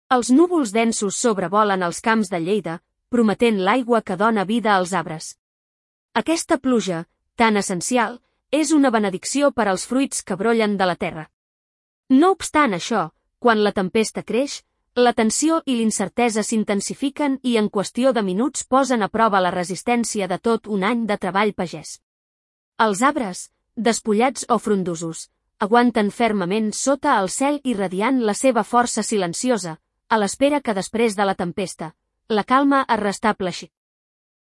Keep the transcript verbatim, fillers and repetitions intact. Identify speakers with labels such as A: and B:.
A: Els núvols densos sobrevolen els camps de Lleida, prometent l'aigua que dona vida als arbres. Aquesta pluja, tan essencial, és una benedicció per als fruits que brollen de la terra. No obstant això, quan la tempesta creix, la tensió i l'incertesa s'intensifiquen i en qüestió de minuts posen a prova la resistència de tot un any de treball pagès. Els arbres, despullats o frondosos, aguanten fermament sota el cel irradiant la seva força silenciosa, a l'espera que després de la tempesta, la calma es restableixi.